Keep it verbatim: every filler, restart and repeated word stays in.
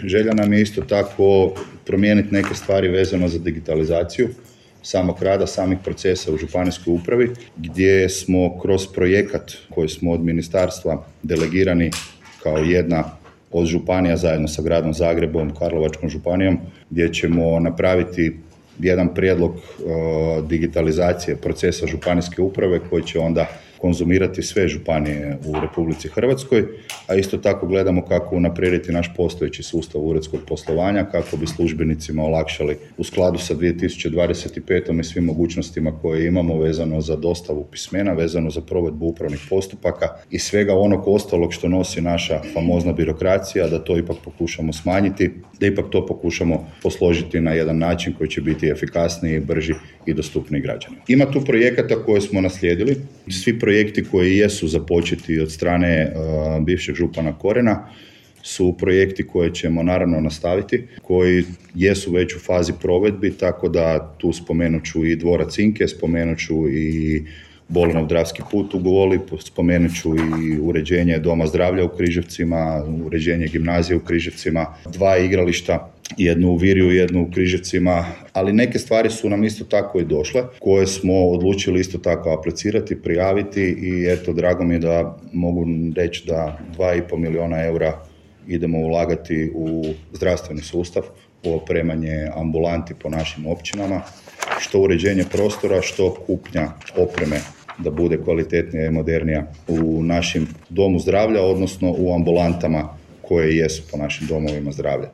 želja nam je isto tako promijeniti neke stvari vezano za digitalizaciju samog rada, samih procesa u županijskoj upravi, gdje smo kroz projekat koji smo od ministarstva delegirani kao jedna od županija zajedno sa gradom Zagrebom, Karlovačkom županijom, gdje ćemo napraviti jedan prijedlog uh, digitalizacije procesa županijske uprave koji će onda konzumirati sve županije u Republici Hrvatskoj, a isto tako gledamo kako unaprijediti naš postojeći sustav uredskog poslovanja, kako bi službenicima olakšali u skladu sa dvije tisuće dvadeset petom i svim mogućnostima koje imamo vezano za dostavu pismena, vezano za provedbu upravnih postupaka i svega onog ostalog što nosi naša famozna birokracija, da to ipak pokušamo smanjiti, da ipak to pokušamo posložiti na jedan način koji će biti efikasniji, brži i dostupniji građanima. Ima tu projekata koje smo naslijedili, svi projekti koji jesu započeti od strane uh, bivšeg župana Korena su projekti koje ćemo naravno nastaviti, koji jesu već u fazi provedbi, tako da tu spomenut ću i dvorac Cinke, spomenut ću i Bolinov Dravski put u Goli, spomenut ću i uređenje Doma zdravlja u Križevcima, uređenje gimnazije u Križevcima, dva igrališta, jednu u Virju, jednu u Križevcima, ali neke stvari su nam isto tako i došle, koje smo odlučili isto tako aplicirati, prijaviti i eto, drago mi je da mogu reći da dva i pol milijuna eura idemo ulagati u zdravstveni sustav, u opremanje ambulanti po našim općinama, što uređenje prostora, što kupnja opreme da bude kvalitetnija i modernija u našim domu zdravlja, odnosno u ambulantama koje jesu po našim domovima zdravlja.